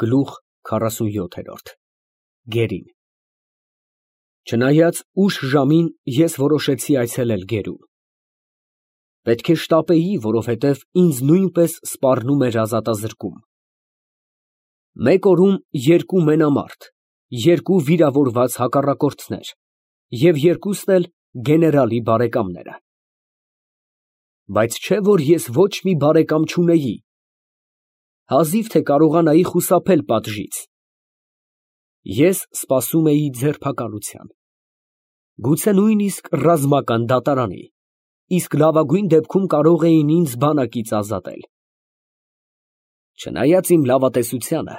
Գլուխ 47 Գերին Չնայած ուշ ժամին ես որոշեցի այցելել գերուն։ Պետք է շտապեի, որովհետև ինձ նույնպես սպառնում էր ազատազրկում։ Մեկ օրում երկու մենամարտ, երկու վիրավորված հակառակորդներ և երկուսն էլ գեներալի բարեկամները։ Բայց չէ՞ որ ես ոչ մի բարեկամ չունեի, հազիվ թե կարողանայի խուսափել պատժից։ Ես սպասում էի ձերբակալության, գուցե նույնիսկ ռազմական դատարանի, իսկ լավագույն դեպքում կարող էին ինձ բանակից ազատել։ Չնայած իմ լավատեսությանը,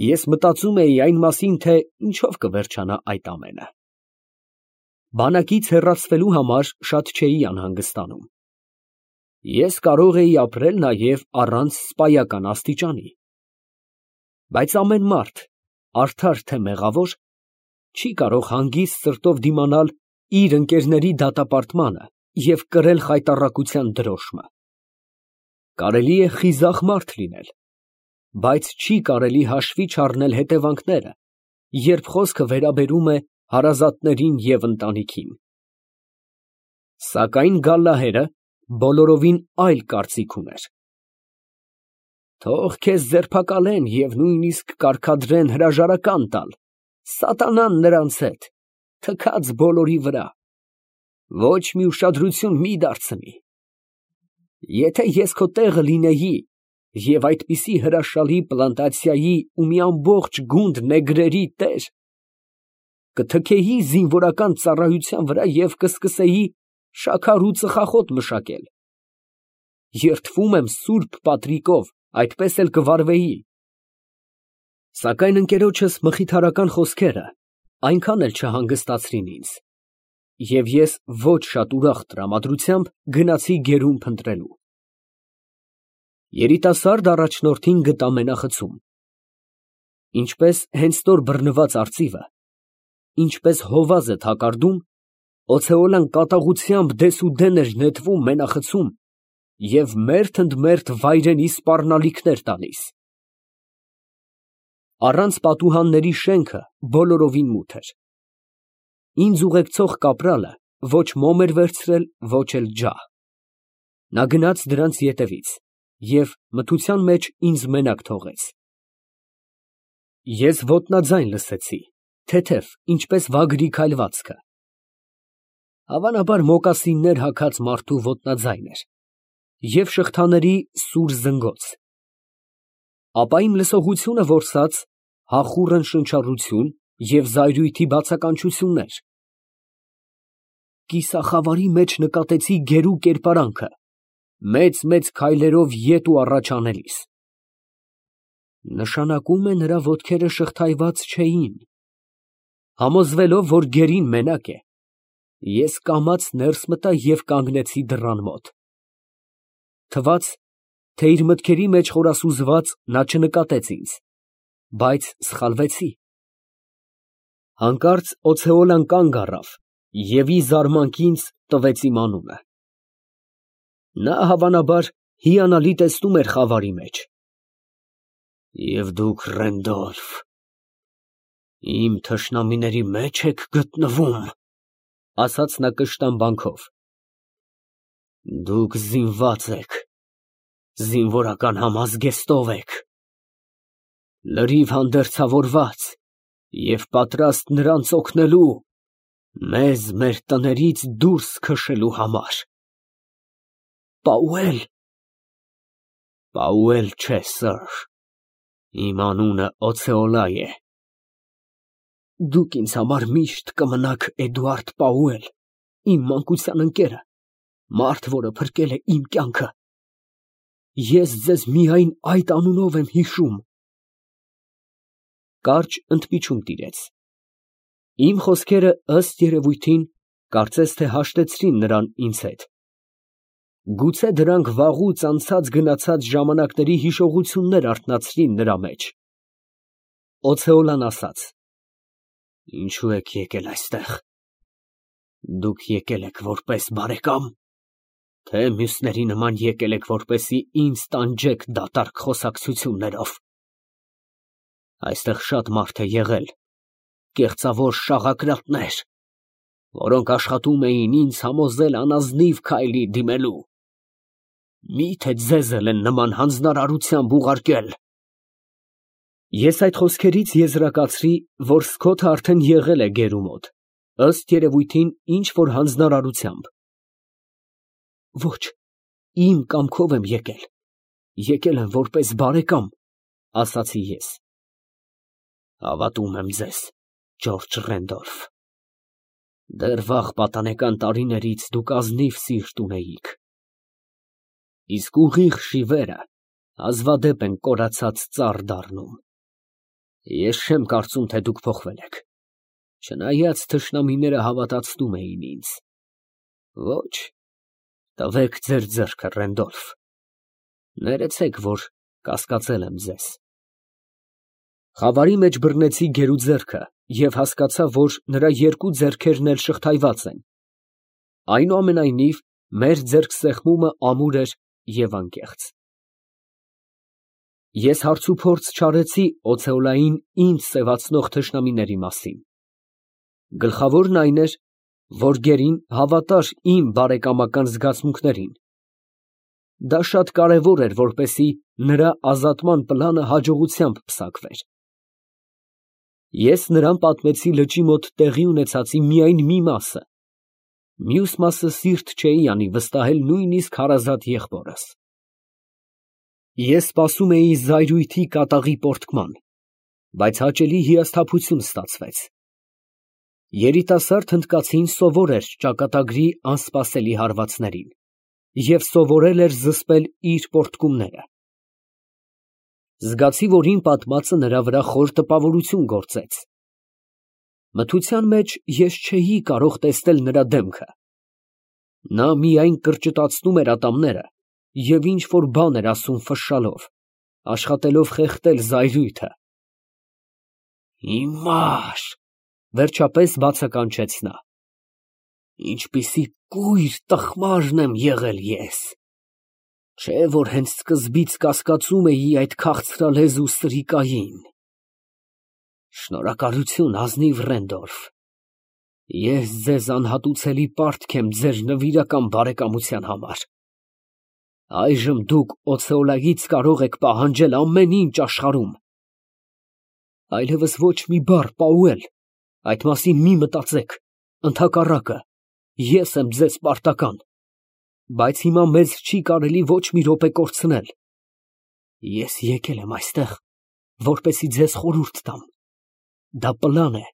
ես մտածում էի այն մասին, թե ինչով կվերջանա այդ ամենը։ Բանակից հեռացվելու համար շատ չէի անհանգստանում։ Ես կարող էի ապրել նաև առանց սպայական աստիճանի։ Բայց ամեն մարդ, արդար թե մեղավոր, չի կարող հանգիստ սրտով դիմանալ իր ընկերների դատապարտմանը և կրել խայտառակության դրոշմը։ Կարելի է խիզախ մարդ լինել, բայց չի կարելի հաշվի չառնել հետևանքները, երբ խոսքը վերաբերում է հարազատներին և ընտանիքին։ Սակայն Գալլահերը բոլորովին այլ կարծիք ուներ։ Թող քեզ ձերբակալեն և նույնիսկ կարգադրեն հրաժարական տալ, սատանան նրանց հետ, թքած բոլորի վրա, ոչ մի ուշադրություն մի դարձնի։ Եթե ես քո տեղը լինեի և այդպիսի հրաշալի պլանտացիայի ու մի ամբողջ գունդ նեգրերի տեր, կթքեի զինվորական ծառայության վրա և կսկսեի շաքար ու ծխախոտ մշակել։ Երդվում եմ սուրբ պատրիկով, այդպես էլ կվարվեի։ Սակայն ընկերոջս մխիթարական խոսքերը այնքան էլ չհանգստացրին ինձ, և ես ոչ շատ ուրախ տրամադրությամբ գնացի գերուն փնտրելու։ Երիտասարդ առաջնորդին գտա մենախցում։ Ինչպես հենց նոր բռնված արծիվը, ինչպես հովազը թակարդում, օցեոլան կատաղությամբ դեսուդեն էր նետվում մենախցում և մերթ ընդ մերթ վայրենի սպառնալիքներ տալիս։ Առանց պատուհանների շենքը բոլորովին մութ էր։ Ինձ ուղեկցող կապրալը ոչ մոմ էր վերցրել, ոչ էլ ջահ։ Նա գնաց դրանց ետևից և մթության մեջ ինձ մենակ թողեց։ Ես ոտնաձայն լսեցի, թեթև, ինչպես վագրի քայլվածքը։ Հավանաբար մոկասիններ հագած մարդու ոտնաձայն էր և շղթաների սուր զնգոց։ Ապա իմ լսողությունը որսաց հախուռն շնչառություն և զայրույթի բացականչություններ։ Կիսախավարի մեջ նկատեցի գերու կերպարանքը, մեծ քայլերով ետ ու առաջ անելիս։ Նշանակում է նրա ոտքերը շղթայված չէին։ Համոզվելով, որ գերին մենակ է, ես կամաց ներս մտա և կանգնեցի դռան մոտ։ Թվաց, թե իր մտքերի մեջ խորասուզված նա չնկատեց ինձ, բայց սխալվեցի։ Հանկարծ օցեոլան կանգ առավ և ի զարմանք ինձ տվեց իմ անունը։ Նա, հավանաբար, հիանալի տեսնում էր խավարի մեջ։ Եվ դուք, Ռենդոլֆ, իմ թշնամիների մեջ եք գտնվում, ասաց նա կշտամբանքով։ Դուք զինված եք, զինվորական համազգեստով եք, լրիվ հանդերձավորված և պատրաստ նրանց օգնելու, մեզ մեր տներից դուրս քշելու համար։ Պաուել։ Պաուել չէ, սըր, իմ անունը Օցեոլա է։ Դուք ինձ համար միշտ կմնաք Էդուարդ Պաուել, իմ մանկության ընկերը, մարդ, որը փրկել է իմ կյանքը։ Ես ձեզ միայն այդ անունով եմ հիշում։ Կարճ ընդմիջում տիրեց։ Իմ խոսքերը, ըստ երևույթին, կարծես թե հաշտեցրին նրան ինձ հետ։ Գուցե դրանք վաղուց անցած գնացած ժամանակների հիշողություններ արթնացրին նրա մեջ։ Օցեոլան ասաց. Ինչո՞ւ եք եկել այստեղ։ Դուք եկել եք որպես բարեկա՞մ, թե մյուսների նման եկել եք, որպեսզի ինձ տանջեք դատարկ խոսակցություններով։ Այստեղ շատ մարդ է եղել, կեղծավոր շաղակրատներ, որոնք աշխատում էին ինձ համոզել անազնիվ քայլի դիմելու։ Մի՞թե ձեզ էլ են նման հանձնարարությամբ ուղարկել։ Ես այդ խոսքերից եզրակացրի, որ Սքոթը արդեն եղել է գերու մոտ, ըստ երևույթին ինչ որ հանձնարարությամբ։ Ոչ, իմ կամքով եմ եկել։ Եկել եմ որպես բարեկամ, ասացի ես։ Հավատում եմ ձեզ, Ջորջ Ռենդոլֆ։ Դեռ վաղ պատանեկան տարիներից դուք ազնիվ սիրտ ունեիք։ Իսկ ուղիղ շիվերը հազվադեպ են կորացած ծառ դառնում։ Ես չեմ կարծում, թե դուք փոխվել եք, չնայած թշնամիները հավատացնում էին ինձ։ Ոչ, տվեք ձեր ձեռքը, Ռենդոլֆ։ Ներեցեք, որ կասկածել եմ ձեզ։ Խավարի մեջ բռնեցի գերու ձեռքը և հասկացա, որ նրա երկու ձեռքերն էլ շղթայված են։ Այնուամենայնիվ, մեր ձեռքսեղմումը ամուր էր և անկեղծ։ Ես հարցուփորձ չարեցի օցեոլային ինձ սևացնող թշնամիների մասին։ Գլխավորն այն էր, որ գերին հավատար իմ բարեկամական զգացմունքներին։ Դա շատ կարևոր էր, որպեսզի նրա ազատման պլանը հաջողությամբ պսակվեր։ Ես նրան պատմեցի լճի մոտ տեղի ունեցածի միայն մի մասը, մյուս մասը սիրտ չէի անի վստահել նույնիսկ հարազատ եղբորս։ Ես սպասում էի զայրույթի կատաղի պոռթկման, բայց հաճելի հիասթափություն ստացվեց։ Երիտասարդ հնդկացին սովոր էր ճակատագրի անսպասելի հարվածներին և սովորել էր զսպել իր պոռթկումները։ Զգացի, որ իմ պատմածը նրա վրա խոր տպավորություն գործեց։ Մթության մեջ ես չէի կարող տեսնել նրա դեմքը։ Նա միայն կրճտացնում էր ատամները և ինչ֊որ բան էր ասում ֆշշալով, աշխատելով խեղդել զայրույթը։ Հիմար, վերջապես բացականչեց նա։ Ինչպիսի կույր տխմարն եմ եղել ես։ Չէ՞ որ հենց սկզբից կասկածում էի այդ քաղցրալեզու սրիկային։ Շնորհակալություն, ազնիվ Ռենդոլֆ։ Ես ձեզ անհատուցելի պարտք եմ ձեր նվիրական բարեկամության համար։ Այժմ դուք օցեոլայից կարող եք պահանջել ամեն ինչ աշխարհում։ Այլևս ոչ մի բառ, Պաուել, այդ մասին մի մտածեք, ընդհակառակը, ես եմ ձեզ պարտական, բայց հիմա մեզ չի կարելի ոչ մի րոպե կորցնել։ Ես եկել եմ այստեղ, որպեսզի ձեզ խորհուրդ տամ։ Դա պլան է,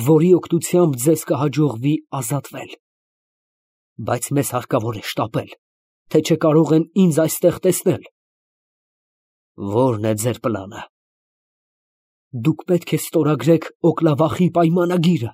որի օգնությամբ ձեզ կհաջողվի ազատվել։ Բայց մեզ հարկավոր է շտապել, թե չկարող են ինձ այստեղ տեսնել։ Ո՞րն է ձեր պլանը։ Դուք պետք է ստորագրեք Օկլավախի պայմանագիրը։